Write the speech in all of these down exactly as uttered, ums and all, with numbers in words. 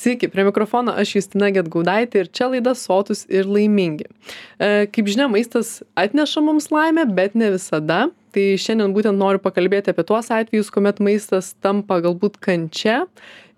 Sveiki, prie mikrofono aš Justina Gedgaudaitė ir čia laida Sotūs ir laimingi. E, kaip žinia, maistas atneša mums laimę, bet ne visada. Tai šiandien būtent noriu pakalbėti apie tuos atvejus, kuomet maistas tampa galbūt kančia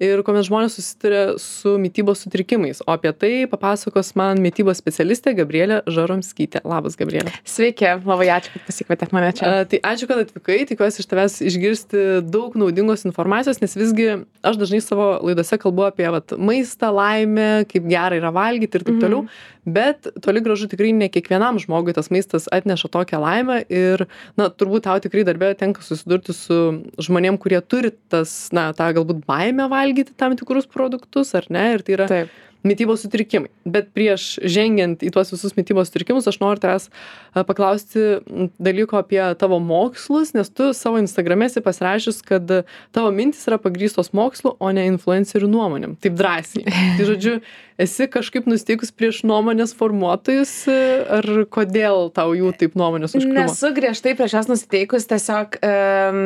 ir kuomet žmonės susituria su mitybos sutrikimais. O apie tai papasakos man mitybos specialistė Gabrielė Žaromskytė. Labas, Gabrielė. Sveiki, labai ačiū, kad pasikvietėt mane čia. A, tai ačiū, kad atvykai, tikiuosi iš tavęs išgirsti daug naudingos informacijos, nes visgi aš dažnai savo laidose kalbu apie vat, maistą, laimę, kaip gera yra valgyti ir taip toliau, mm-hmm. bet toli gražu tikrai ne kiekvienam žmogui tas maistas atneša tokią laimę ir, na, turbūt tau tikrai darbė tenka susidurti su žmonėm, kurie turi tas, na, tą galbūt baimę valgyti tam tikrus produktus, ar ne, ir tai yra Taip. mitybos sutrikimai. Bet prieš žengiant į tuos visus mitybos sutrikimus, aš noriu tavęs paklausti dalyko apie tavo mokslus, nes tu savo Instagrame esi pasirašius, kad tavo mintis yra pagrįstos mokslu, o ne influencerių nuomonėm. Taip drąsiai. Tai žodžiu, esi kažkaip nusteikus prieš nuomonės formuotojus, ar kodėl tau jų taip nuomonės užkliuvo? Nesu griežtai prieš jas nusteikus, tiesiog um,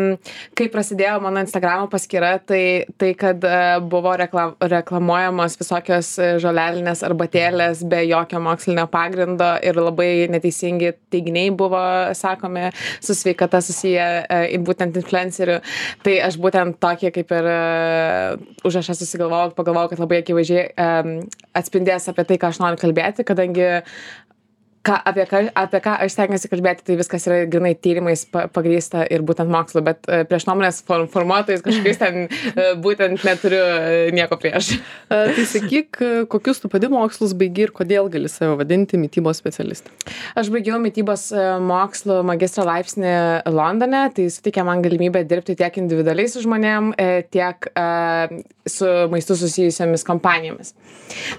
kai prasidėjo mano Instagramo paskyra, tai, tai kad uh, buvo reklam, reklamuojamos visokios žolelinės arbatėlės be jokio mokslinio pagrindo ir labai neteisingi teiginiai buvo sakomi su sveikata susiję uh, būtent influencerių. Tai aš būtent tokį kaip ir uh, užrašą susigalvojau, pagalvojau, kad labai akivaizdžiai um, atspindės apie tai, ką aš noriu kalbėti, kadangi ką, apie, ką, apie ką aš stengiuosi kalbėti, tai viskas yra grinai tyrimais pagrįsta ir būtent mokslu, bet prieš nuomonės formuotojais kažkokiais ten būtent neturiu nieko prieš. Tai sakyk, kokius tu pati mokslus baigi ir kodėl gali save vadinti mitybos specialistą? Aš baigiau mitybos mokslų magistro laipsnį Londone, tai suteikė man galimybę dirbti tiek individualiai su žmonėm, tiek uh, su maistu susijusiamis kompanijomis.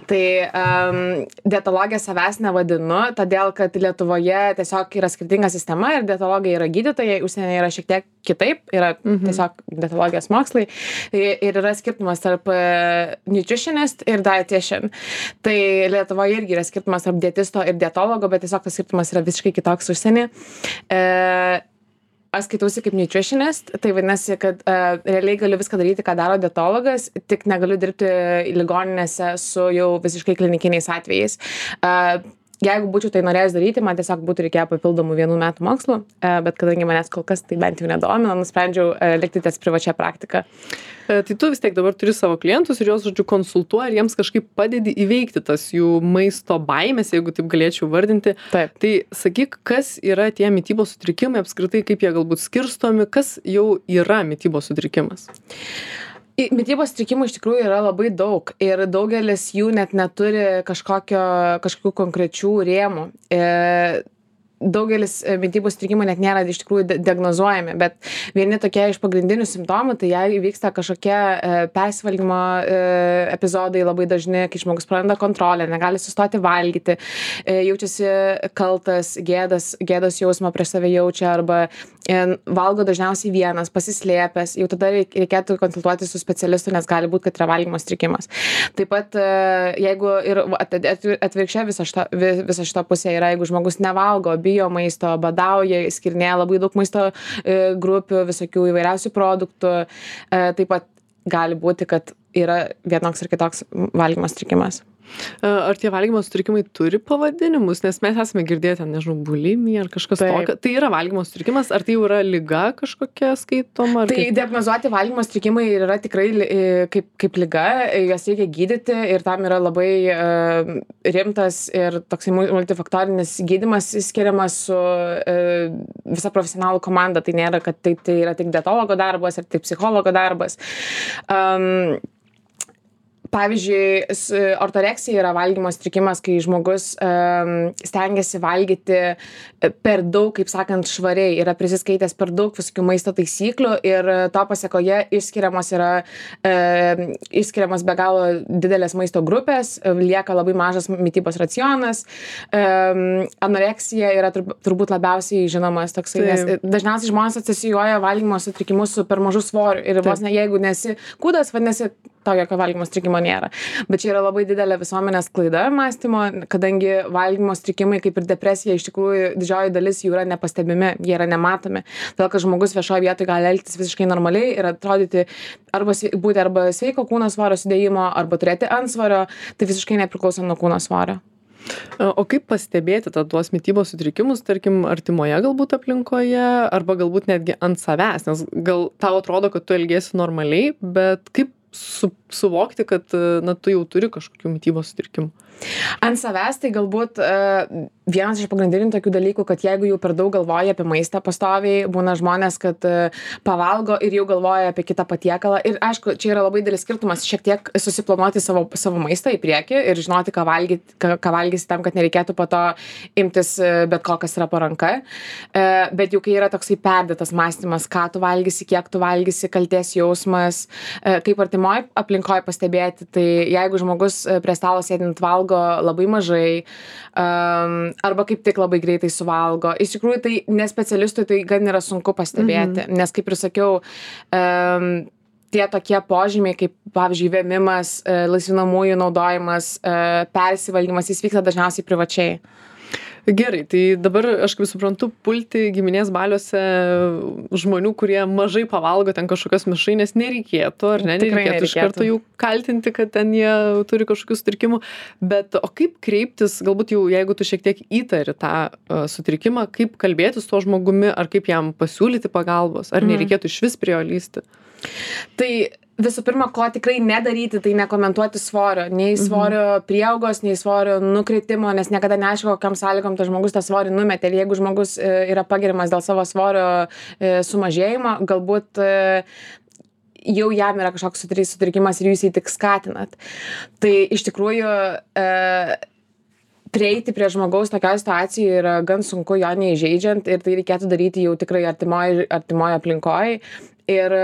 Tai um, dietologija savęs nevadinu, todėl, kad Lietuvoje tiesiog yra skirtinga sistema ir dietologai yra gydytojai, užsienyje yra šiek tiek kitaip, yra mhm. tiesiog dietologijos mokslai ir yra skirtumas tarp nutritionist ir dietitian. Tai Lietuvoje irgi yra skirtumas tarp dietisto ir dietologo, bet tiesiog tas skirtumas yra visiškai kitoks užsienį. E, Aš skaitausi kaip nutritionist, tai vadinasi, kad uh, realiai galiu viską daryti, ką daro dietologas, tik negaliu dirbti ligoninėse su jau visiškai klinikiniais atvejais. Uh, Jeigu būčiau tai norėjęs daryti, man tiesiog būtų reikėję papildomų vienų metų mokslų, bet kadangi manęs kol kas tai bent jau nedomina, nusprendžiau likti ties privačia praktika. Tai tu vis tiek dabar turi savo klientus ir juos, žodžiu, konsultuoji ir jiems kažkaip padedi įveikti tas jų maisto baimės, jeigu taip galėčiau vardinti. Taip. Tai sakyk, kas yra tie mitybos sutrikimai, apskritai kaip jie galbūt skirstomi, kas jau yra mitybos sutrikimas? Mitybos sutrikimų iš tikrųjų yra labai daug ir daugelis jų net neturi kažkokio, kažkokių konkrečių rėmų. E, daugelis mitybos sutrikimų net nėra iš tikrųjų diagnozuojami, bet vieni tokie iš pagrindinių simptomų, tai jei vyksta kažkokie e, persivalgymo e, epizodai labai dažni, kai žmogus praranda kontrolę, negali sustoti valgyti, e, jaučiasi kaltas, gėdas, gėdos jausmą prieš save jaučia arba e, valgo dažniausiai vienas, pasislėpęs, jau tada reikėtų konsultuoti su specialistu, nes gali būti, kad yra valgymo sutrikimas. Taip pat, e, jeigu ir atvirkščiai visa šita, visa šita pusė yra, jeigu žmogus nevalgo, bijo maisto, badauja, skirinėja labai daug maisto e, grupių, visokių įvairiausių produktų. E, taip pat gali būti, kad yra vienoks ir kitoks valgymo sutrikimas. Ar tie valgymo sutrikimai turi pavadinimus? Nes mes esame girdėję ten, nežinau, bulimija ar kažkas Taip. tokio. Tai yra valgymo sutrikimas, ar tai jau yra liga kažkokia skaitoma? Tai kaip... diagnozuoti valgymo sutrikimai yra tikrai kaip, kaip liga, juos reikia gydyti ir tam yra labai uh, rimtas ir toksai multifaktorinis gydymas skiriamas su uh, visa profesionalų komanda. Tai nėra, kad tai, tai yra tik dietologo darbas ar tik psichologo darbas. Um, Pavyzdžiui, ortoreksija yra valgymo sutrikimas, kai žmogus um, stengiasi valgyti per daug, kaip sakant, švariai, yra prisiskaitęs per daug visokių maisto taisyklių ir to pasiekoje išskiriamas yra um, išskiriamas be galo didelės maisto grupės, lieka labai mažas mitybos racionas. Um, anoreksija yra turbūt labiausiai žinomas toksai, nes dažniausiai žmonės asocijuoja valgymo sutrikimus su per mažu svoriu ir vos ne, jeigu nesi kūdas, vadinasi, to jokio valgymo sutrikimo susitraukimo nėra. Bet čia yra labai didelė visuomenės klaida mąstymo, kadangi valgymo sutrikimai kaip ir depresija, iš tikrųjų didžioji dalis jų yra nepastebimi, jie yra nematomi. Todėl, kad žmogus viešoje vietoje gali elgtis visiškai normaliai ir atrodyti arba būti arba sveiko kūno svorio sudėjimo, arba turėti antsvorio, tai visiškai nepriklauso nuo kūno svorio. O kaip pastebėti tą tuos mitybos sutrikimus, tarkim, artimoje galbūt aplinkoje, arba galbūt netgi ant savęs, nes gal tau atrodo, kad tu elgiesi normaliai, bet kaip su, suvokti, kad na, tu jau turi kažkokių mitybos sutrikimų? Ant savęs tai galbūt uh, vienas iš pagrindinių tokių dalykų, kad jeigu jau per daug galvoja apie maistą pastoviai, būna žmonės, kad uh, pavalgo ir jau galvoja apie kitą patiekalą. Ir aišku, čia yra labai didelis skirtumas šiek tiek susiplanuoti savo, savo maistą į priekį ir žinoti, ką, valgyti, ką, ką valgysi tam, kad nereikėtų po to imtis bet ko, kas yra po ranka. Uh, bet jau kai yra toksai perdėtas mąstymas, ką tu valgysi, kiek tu valgysi, kaltės jausmas, uh, kaip artimoje aplinkoje pastebėti, tai jeigu žmogus prie stalo sėdint valgo labai mažai, um, arba kaip tik labai greitai suvalgo. Iš tikrųjų, tai ne specialistui tai gan yra sunku pastebėti, mm-hmm. nes kaip ir sakiau, um, tie tokie požymiai, kaip pavyzdžiui vėmimas, laisvinamųjų naudojimas, persivalgymas, jis vyksta dažniausiai privačiai. Gerai, tai dabar aš kaip suprantu, pulti giminės baliuose žmonių, kurie mažai pavalgo ten kažkokios mišrainės nereikėtų, ar ne? Tikrai nereikėtų iš karto jų kaltinti, kad ten jie turi kažkokių sutrikimų. Bet o kaip kreiptis, galbūt jau jeigu tu šiek tiek įtari tą uh, sutrikimą, kaip kalbėti su tuo žmogumi, ar kaip jam pasiūlyti pagalbos, ar nereikėtų iš vis prie jo lysti? Tai visų pirma, ko tikrai nedaryti, tai nekomentuoti svorio, nei svorio prieaugos, nei svorio nukritimo, nes niekada neaišku, kokiam sąlygom tas žmogus tą svorį numetė. Ir jeigu žmogus yra pagiriamas dėl savo svorio sumažėjimo, galbūt jau jam yra kažkoks sutrikimas ir jūs jį tik skatinat. Tai iš tikrųjų prieiti prie žmogaus tokioje situacijoje yra gan sunku, jo neįžeidžiant, ir tai reikėtų daryti jau tikrai artimoje artimoje aplinkoje. Ir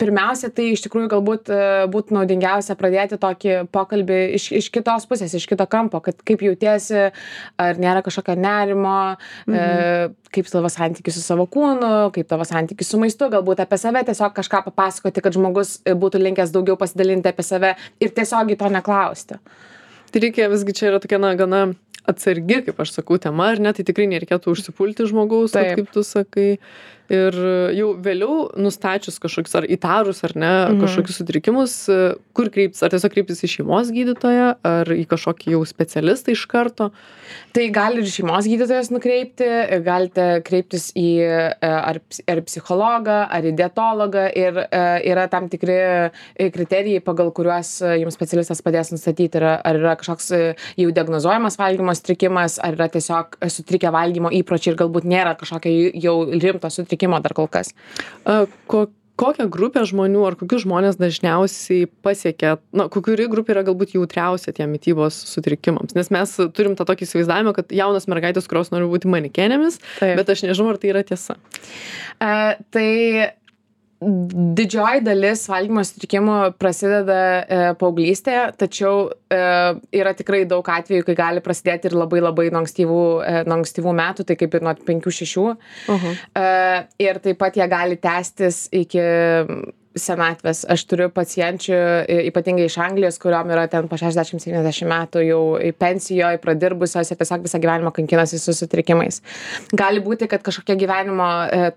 pirmiausia, tai iš tikrųjų galbūt būtų naudingiausia pradėti tokį pokalbį iš, iš kitos pusės, iš kito kampo, kad kaip jautiesi, ar nėra kažkokio nerimo, mhm. e, kaip tavo santykis su savo kūnu, kaip tavo santykis su maistu, galbūt apie save tiesiog kažką papasakoti, kad žmogus būtų linkęs daugiau pasidalinti apie save ir tiesiogiai to neklausti. Tai reikia visgi, čia yra tokia na, gana atsargi, kaip aš sakau, tema, ar ne, tai tikrai nereikėtų užsipulti žmogaus, at, kaip tu sakai. Ir jau vėliau nustačius kažkokius ar įtarus ar ne, mhm. kažkokius sutrikimus, kur kreiptis, ar tiesiog kreiptis į šeimos gydytoją, ar į kažkokį jau specialistą iš karto? Tai gali ir šeimos gydytojas nukreipti, galite kreiptis į ar, ar psichologą, ar į dietologą, ir yra tam tikri kriterijai, pagal kuriuos jums specialistas padės nustatyti, ar yra kažkoks jau diagnozuojamas valgymo sutrikimas, ar yra tiesiog sutrikę valgymo įpročiai ir galbūt nėra kažkokio jau rimto sutrikimo dar kol kas. A, ko, kokią grupę žmonių ar kokius žmonės dažniausiai pasiekia, na, kuri grupė yra galbūt jautriausia tiem mitybos sutrikimams? Nes mes turim tą tokį įsivaizdavimą, kad jaunas mergaitės, kurios nori būti manekenėmis, Taip. Bet aš nežinau, ar tai yra tiesa. Uh, tai didžioji dalis valgymo sutrikimų prasideda e, paauglystėje, tačiau e, yra tikrai daug atvejų, kai gali prasidėti ir labai labai nuo ankstyvų, e, nuo ankstyvų metų, tai kaip ir nuo penkių šešių. Uh-huh. E, ir taip pat jie gali tęstis iki senatvės. Aš turiu pacienčių, ypatingai iš Anglijos, kuriuom yra ten po šešiasdešimt septyniasdešimt metų jau pensijoje, pradirbusios ir tiesiog visą gyvenimą kankinasi su sutrikimais. Gali būti, kad kažkokia gyvenimo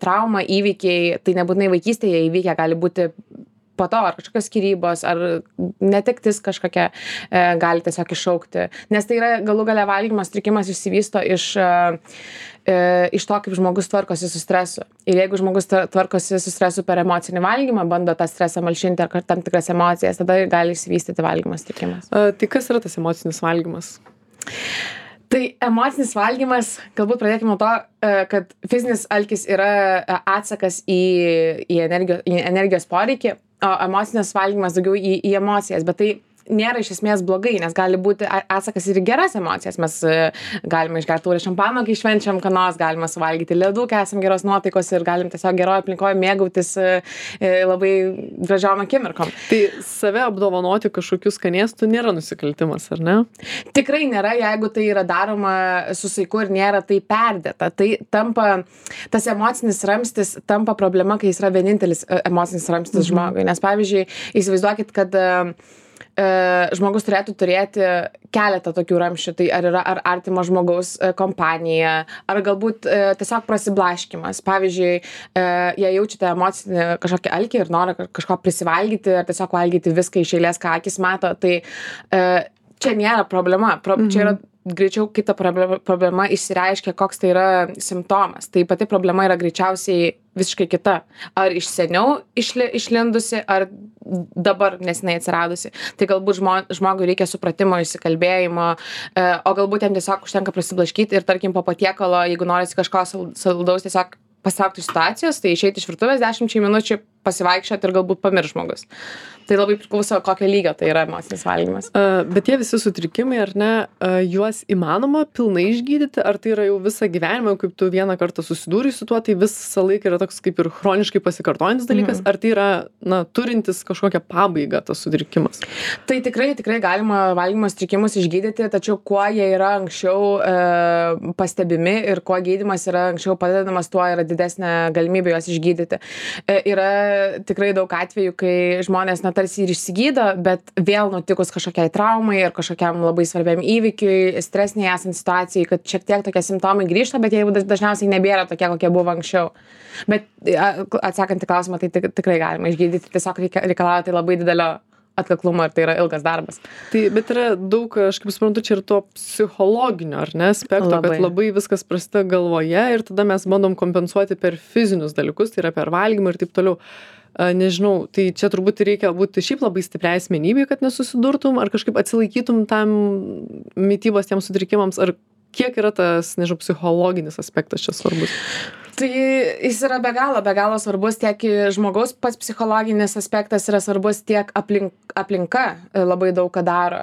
trauma, įvykiai, tai nebūtinai vaikystėje įvykę, gali būti po to, ar kažkokios skyrybos, ar netektis kažkokia e, gali tiesiog iššaukti. Nes tai yra galų gale valgymo sutrikimas išsivysto iš, e, iš to, kaip žmogus tvarkosi su stresu. Ir jeigu žmogus tvarkosi su stresu per emocinį valgymą, bando tą stresą malšinti ar tam tikras emocijas, tada gali išsivystyti valgymo sutrikimas. A, tai kas yra tas emocinis valgymas? Tai emocinis valgymas, galbūt pradėkime nuo to, kad fizinis alkis yra atsakas į, į, energijos, į energijos poreikį, o emocinis valgymas daugiau į, į emocijas, bet tai nėra iš esmės blogai, nes gali būti atsakas ir į geras emocijas. Mes galime išgerti taurę šampano, kai švenčiam ką nors, galime suvalgyti ledų, kai esam geros nuotaikos ir galim tiesiog geroje aplinkoje mėgautis labai gražiom akimirkom. Tai save apdovanoti kažkokių skanėstų nėra nusikaltimas, ar ne? Tikrai nėra, jeigu tai yra daroma su saiku ir nėra tai perdėta. Tai tampa, tas emocinis ramstis tampa problema, kai jis yra vienintelis emocinis ramstis mhm. žmogui. Nes pavyzdžiui, įsivaizduokit, kad e, žmogus turėtų turėti keletą tokių ramščių. Tai ar yra ar artimo žmogaus e, kompanija, ar galbūt e, tiesiog prasiblaškymas. Pavyzdžiui, e, jei jaučiate emocinį kažkokį alkį ir norą kažko prisivalgyti, ar tiesiog valgyti viską iš eilės, ką akis mato, tai e, čia nėra problema. Pro, mhm. Čia yra greičiau kita problema, problema išsireiškia, koks tai yra simptomas. Tai pati problema yra greičiausiai visiškai kita. Ar iš seniau išli, išlindusi, ar dabar nesinai atsiradusi. Tai galbūt žmo, žmogui reikia supratimo, įsikalbėjimo, e, o galbūt jam tiesiog užtenka prasiblaškyti ir tarkim po patiekalo, jeigu norisi kažko saldaus, tiesiog pasitraukti iš situacijos, tai išeiti iš virtuvės dešimčiai minučių, pasivaikščioti ir galbūt pamirš žmogus. Tai labai priklauso, kokio lygio tai yra emocinis valgymas. Uh, bet tie visi sutrikimai, ar ne, uh, juos įmanoma pilnai išgydyti, ar tai yra jau visą gyvenimą, kaip tu vieną kartą susidūrei su tuo, tai visą laiką yra toks kaip ir chroniškai pasikartojantis dalykas, mm. ar tai yra, na, turintis kažkokią pabaigą tas sutrikimas? Tai tikrai, tikrai galima valgymo sutrikimus išgydyti, tačiau kuo jie yra anksčiau e, pastebimi ir kuo gydymas yra anksčiau padedamas, tuo yra didesnė galimybė juos išgydyti. E, yra tikrai daug atvejų, kai žmonės, na, tarsi ir išsigydo, bet vėl nutikus kažkokiai traumai ir kažkokiam labai svarbiam įvykiui, stresiniai esant situacijai, kad šiek tiek tokie simptomai grįžta, bet jie jau dažniausiai nebėra tokie, kokie buvo anksčiau. Bet atsakant į klausimą, tai tikrai galima išgydyti, tiesiog reikalauja tai labai didelio atkaklumo ir tai yra ilgas darbas. Tai, bet yra daug, aš kaip suprantu, čia ir to psichologinio, ar ne, aspekto, labai. Kad labai viskas prasideda galvoje ir tada mes bandom kompensuoti per fizinius dalykus, tai yra per valgymą ir taip toliau. Nežinau, tai čia turbūt reikia būti šiaip labai stipriai asmenybei, kad nesusidurtum, ar kažkaip atsilaikytum tam mitybos tiems sutrikimams, ar kiek yra tas, nežinau, psichologinis aspektas čia svarbus? Tai jis yra be galo, be galo svarbus, tiek žmogaus pats psichologinis aspektas yra svarbus, tiek aplink, aplinka labai daug ką daro.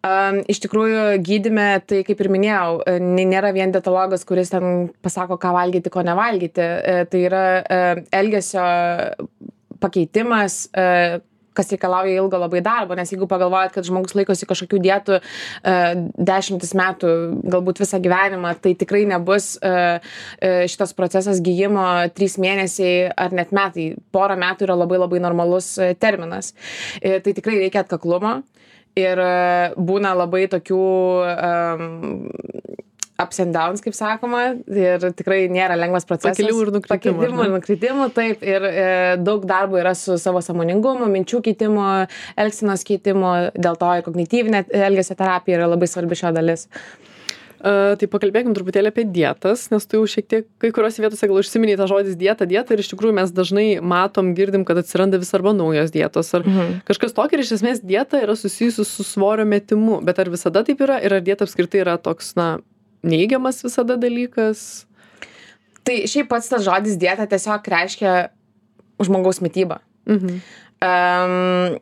Um, iš tikrųjų, gydyme, tai kaip ir minėjau, nėra vien dietologas, kuris ten pasako, ką valgyti, ko nevalgyti. Tai yra elgesio pakeitimas, kas reikalauja ilgo labai darbo, nes jeigu pagalvojat, kad žmogus laikosi kažkokių dietų dešimtis metų, galbūt visą gyvenimą, tai tikrai nebus šitas procesas gijimo trys mėnesiai ar net metai. Porą metų yra labai labai normalus terminas. Tai tikrai reikia atkaklumo ir būna labai tokių um, ups and downs, kaip sakoma, ir tikrai nėra lengvas procesas. Pakilimų ir nukritimų. Pakilimų ir nukritimų, taip, ir e, daug darbo yra su savo sąmoningumu, minčių keitimu, elgsenos keitimu, dėl to ir kognityvinė elgesio terapija yra labai svarbi šio dalis. Uh, tai pakalbėkim truputėlį apie dietas, nes tu jau šiek tiek kai kuriuose vietose gal užsiminei tą žodis dieta, dieta ir iš tikrųjų mes dažnai matom, girdim, kad atsiranda vis arba naujos dietos ar mhm. kažkas tokio ir iš esmės dieta yra susijusi su svorio metimu, bet ar visada taip yra ir ar dieta apskritai yra toks, na, neigiamas visada dalykas? Tai šiaip pats tas žodis dieta tiesiog reiškia žmogaus mitybą. Mhm. Um,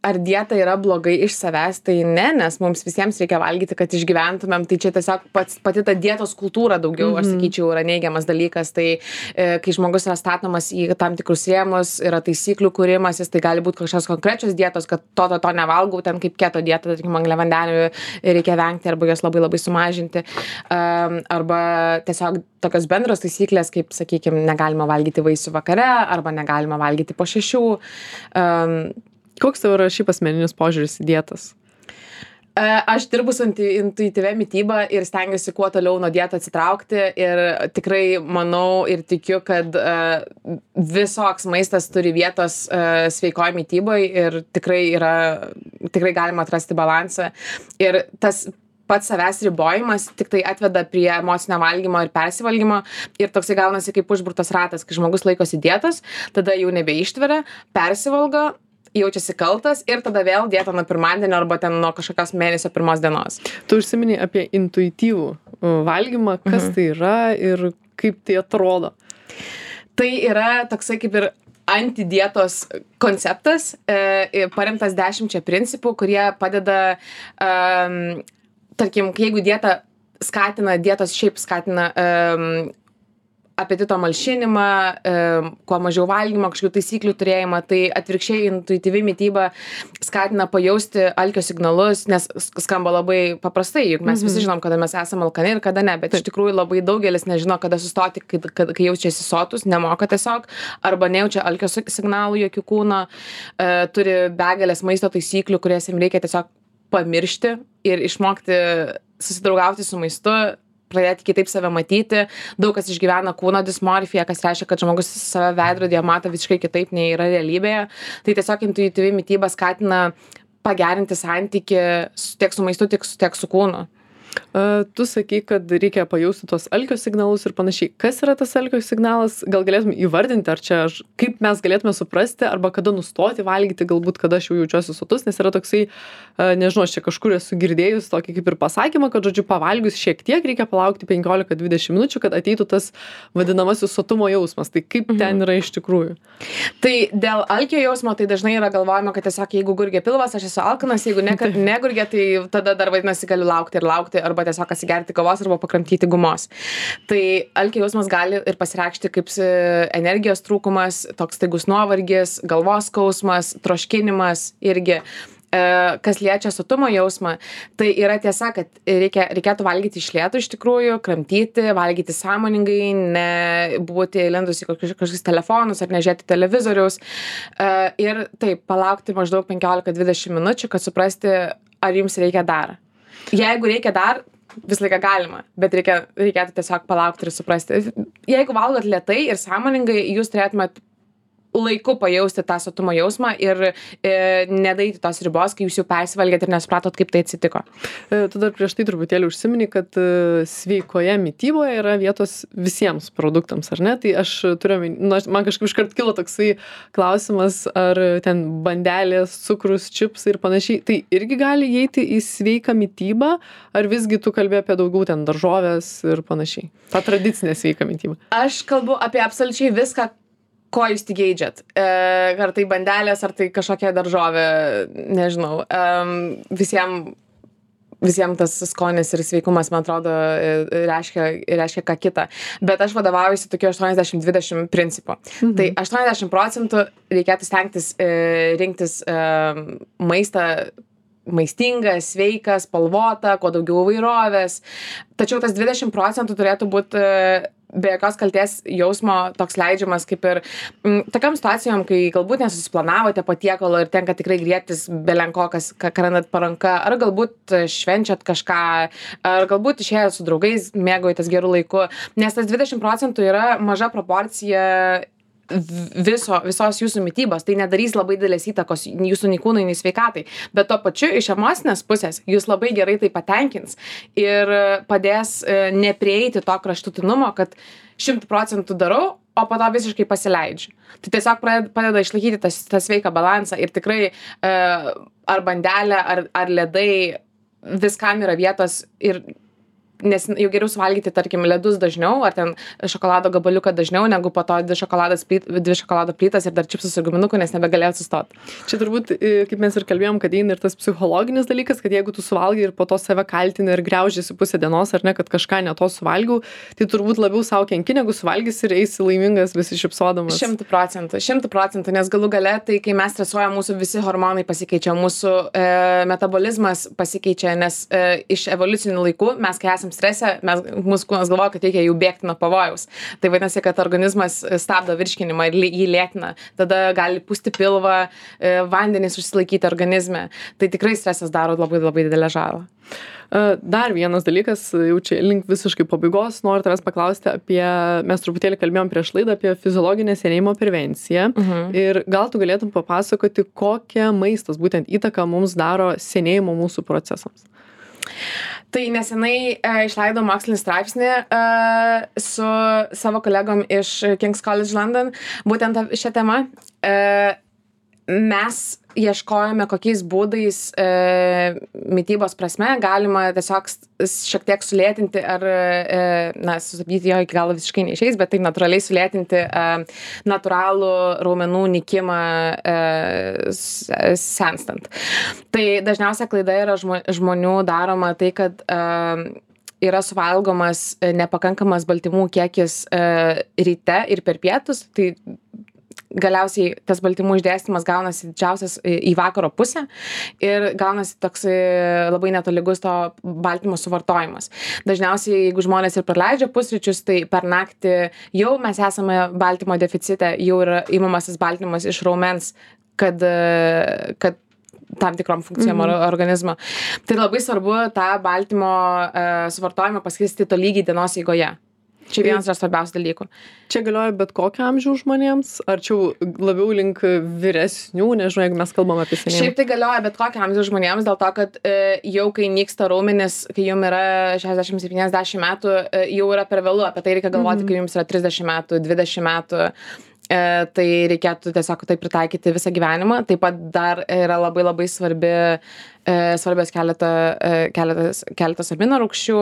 ar dieta yra blogai iš savęs, tai ne, nes mums visiems reikia valgyti, kad išgyventumėm, tai čia tiesiog pats, pati ta dietos kultūra daugiau, mm-hmm. aš sakyčiau, yra neigiamas dalykas, tai e, kai žmogus yra statomas į tam tikrus rėmus, yra taisyklių kūrimasis, tai gali būti kažkokios konkrečios dietos, kad to, to, to nevalgau, ten kaip keto dieta, tarkim, angliavandenių reikia vengti arba jos labai labai sumažinti, um, arba tiesiog tokios bendros taisyklės, kaip, sakykime, negalima valgyti vaisių vakare, arba negalima valgyti po šešių. Um, Koks tavo yra šiaip asmeninis požiūris į dietas? Aš dirbu su intuityvia mityba ir stengiuosi kuo toliau nuo dietų atsitraukti ir tikrai manau ir tikiu, kad visoks maistas turi vietos sveikoj mityboje ir tikrai yra, tikrai galima atrasti balansą. Ir tas pats savęs ribojimas tik tai atveda prie emocinio valgymo ir persivalgymo ir toksai gaunasi kaip užburtas ratas, kai žmogus laikosi dietos, tada jau nebeištveria, persivalgo, jaučiasi kaltas ir tada vėl dieta nuo pirmadienio arba ten nuo kažkokios mėnesio pirmos dienos. Tu užsiminei apie intuityvų valgymą, kas mhm. tai yra ir kaip tai atrodo? Tai yra toksai kaip ir antidietos konceptas, e, paremtas dešimčia principų, kurie padeda, um, tarkim, jeigu dieta skatina, dietos šiaip skatina um, apetito malšinimą, kuo mažiau valgymo, kažkokių taisyklių turėjimą. Tai atvirkščiai intuityvi mityba skatina pajausti alkio signalus, nes skamba labai paprastai, juk mes visi žinom, kada mes esame alkani ir kada ne, bet iš tikrųjų labai daugelis nežino, kada sustoti, kai, kai, kai jaučiasi sotus, nemoka tiesiog, arba nejaučia alkio signalų jokių kūno, turi begalės maisto taisyklių, kurias jiems reikia tiesiog pamiršti ir išmokti susidraugauti su maistu, pradėti kitaip save matyti. Daug kas išgyvena kūno dismorfiją, kas reiškia, kad žmogus save veidrodyje mato visiškai kitaip nei yra realybėje. Tai tiesiog intuityvi mityba skatina pagerinti santykį tiek su maistu, tiek su, tiek su kūnu. Uh, tu sakai, kad reikia pajausti tuos alkio signalus ir panašiai. Kas yra tas alkio signalas? Gal galėtume įvardinti, ar čia aš, kaip mes galėtume suprasti, arba kada nustoti valgyti, galbūt kada aš jau jaučiuosi sotus, nes yra toksai, uh, nežinau, aš čia kažkur esu girdėjus tokį kaip ir pasakymą, kad, žodžiu, pavalgius šiek tiek reikia palaukti penkiolika dvidešimt minučių, kad ateitų tas vadinamasis sotumo jausmas. Tai kaip mhm. ten yra iš tikrųjų? Tai dėl alkio jausmo, tai dažnai yra galvojama, kad tiesiog jeigu gurgia pilvas, aš esu alkanas, jeigu ne, negurgia, tai tada dar vadinasi galiu laukti ir laukti, arba tiesiog atsigerti kavos arba pakramtyti gumos. Tai alkio jausmas gali ir pasireikšti kaip energijos trūkumas, toks staigus nuovargis, galvos skausmas, troškinimas irgi. Kas liečia sotumo jausmą, tai yra tiesa, kad reikia, reikėtų valgyti iš lėto iš tikrųjų, kramtyti, valgyti sąmoningai, nebūti įlindus į kažkokius telefonus ar nežiūrėti televizoriaus. Ir taip, palaukti maždaug penkiolika dvidešimt minučių, kad suprasti, ar jums reikia dar. Jeigu reikia dar, visą laiką galima, bet reikia, reikėtų tiesiog palaukti ir suprasti. Jeigu valgot lėtai ir sąmoningai, jūs turėtumėt laiku pajausti tą sotumo jausmą ir e, nedaeiti tos ribos, kai jūs jau persivalgėt ir nesupratot, kaip tai atsitiko. E, tu dar prieš tai truputėlį užsimini, kad e, sveikoje mityboje yra vietos visiems produktams, ar ne? Tai aš turiu, nu, man kažkaip iškart kilo toksai klausimas, ar ten bandelės, cukrus, čipsai ir panašiai, tai irgi gali įeiti į sveiką mitybą, ar visgi tu kalbė apie daugiau ten daržovės ir panašiai? Ta tradicinė sveika mityba. Aš kalbu apie absoliučiai viską, ko jūs tik geidžiat. E, ar tai bandelės, ar tai kažkokia daržovė, nežinau. E, visiems visiem tas skonis ir sveikumas, man atrodo, reiškia, reiškia ką kitą. Bet aš vadovaujuosi tokiu aštuoniasdešimt dvidešimt principu. Mhm. Tai aštuoniasdešimt procentų reikėtų stengtis e, rinktis e, maistą maistingą, sveiką, spalvotą, kuo daugiau įvairovės. Tačiau tas dvidešimt procentų turėtų būti be jokios kaltės jausmo toks leidžiamas, kaip ir m, tokiam situacijom, kai galbūt nesusiplanavote patiekalo ir tenka tikrai griebtis belenko, kas ką randat po ranka, ar galbūt švenčiat kažką, ar galbūt išėjot su draugais, mėgaujatės gerų laiku, nes tas dvidešimt procentų yra maža proporcija viso, visos jūsų mitybos, tai nedarys labai didelės įtakos jūsų nei kūnui, nei sveikatai, bet tuo pačiu iš emocinės pusės jūs labai gerai tai patenkins ir padės neprieiti to kraštutinumo, kad šimtu procentų darau, o po to visiškai pasileidžiu. Tai tiesiog padeda išlaikyti tas, tą sveiką balansą ir tikrai ar bandelė, ar, ar ledai, viskam yra vietos ir nes jau geriau suvalgyti, tarkim, ledus dažniau, ar ten šokolado gabaliuką dažniau, negu po to dvi, plyt, dvi šokolado plytas ir dar čipsus su guminuku, nes nebegalėjau sustoti. Čia turbūt, kaip mes ir kalbėjom, kad eina ir tas psichologinis dalykas, kad jeigu tu suvalgai ir po to save kaltini ir griaužiasi pusę dienos, ar ne, kad kažką ne to suvalgiau, tai turbūt labiau savo kenki, negu suvalgys ir eisi laimingas besišypsodamas. Šimtų procentų, šimtų procentų, nes galų gale, tai kai mes stresuojam, mūsų visi hormonai pasikeičia, mūsų e, metabolizmas pasikeičia, nes e, iš evoliucinių laikų mes, kai esam strese, mes, mūsų kūnas galvoja, kad reikia jau bėgti nuo pavojaus. Tai vadinasi, kad organizmas stabdo virškinimą ir jį lėtina. Tada gali pūsti pilvą, vandenys užsilaikyti organizme. Tai tikrai stresas daro labai labai didelę žalą. Dar vienas dalykas, jau čia link visiškai pabaigos, noriu tavęs paklausti apie, mes truputėlį kalbėjom prieš laidą apie fiziologinę senėjimo prevenciją. Uh-huh. Ir gal tu galėtum papasakoti, kokią maistas būtent įtaką mums daro senėjimo mūsų procesams? Tai nesenai e, išleidau mokslinį straipsnį e, su savo kolegom iš King's College London, būtent šią temą. E, mes ieškojome, kokiais būdais e, mitybos prasme galima tiesiog šiek tiek sulėtinti ar, e, na, sustabdyti jo iki galo visiškai neišeis, bet taip natūraliai sulėtinti e, natūralų raumenų nykimą e, senstant. Tai dažniausia klaida yra žmonių daroma tai, kad e, yra suvalgomas e, nepakankamas baltymų kiekis e, ryte ir per pietus, tai galiausiai tas baltymų išdėstymas gaunasi didžiausias į į vakaro pusę ir gaunasi toks e, labai netolygus to baltymo suvartojimas. Dažniausiai, jeigu žmonės ir praleidžia pusryčius, tai per naktį jau mes esame baltymo deficite, jau yra imamas tas baltymas iš raumens, kad, e, kad tam tikrom funkcijom mm -hmm. organizmo. Tai labai svarbu tą baltymo e, suvartojimą paskirstyti tolygiai dienos eigoje. Čia vienas yra svarbiausių dalykų. Čia galioja bet kokio amžiaus žmonėms, ar čia labiau link vyresnių, nežinau, jeigu mes kalbam apie senėjimą? Šiaip tai galioja bet kokio amžiaus žmonėms, dėl to, kad e, jau kai nyksta raumenis, kai jums yra šešiasdešimt septyniasdešimt metų, e, jau yra per vėlu, apie tai reikia galvoti, mm -hmm. kai jums yra trisdešimt metų, dvidešimt metų. E, tai reikėtų tiesiog tai pritaikyti visą gyvenimą. Taip pat dar yra labai labai svarbi, e, svarbios keletą, e, keletas, keletas amino rūgščių.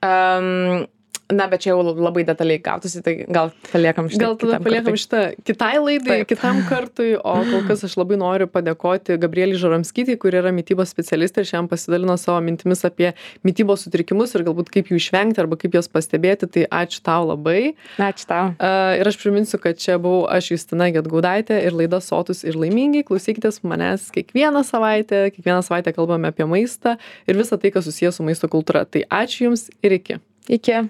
Um, Na, bet čia jau labai detaliai gautųsi, tai gal paliekam šitą. Gal tada paliekam šitą kitai laidai, Taip. kitam kartui, o kol kas aš labai noriu padėkoti Gabrielei Žaramskytei, kuri yra mitybos specialistė ir šiandien pasidalino savo mintimis apie mitybos sutrikimus ir galbūt kaip jų išvengti arba kaip juos pastebėti, tai ačiū tau labai. Ačiū tau. Uh, ir aš priminsiu, kad čia buvau aš Justina Gedgaudaitė ir laida Sotūs ir laimingi. Klausykitės manęs kiekvieną savaitę, kiekvieną savaitę kalbame apie maistą ir visą tai, kas susijęs su maisto kultūra. Tai ačiū Jums ir iki. Iki.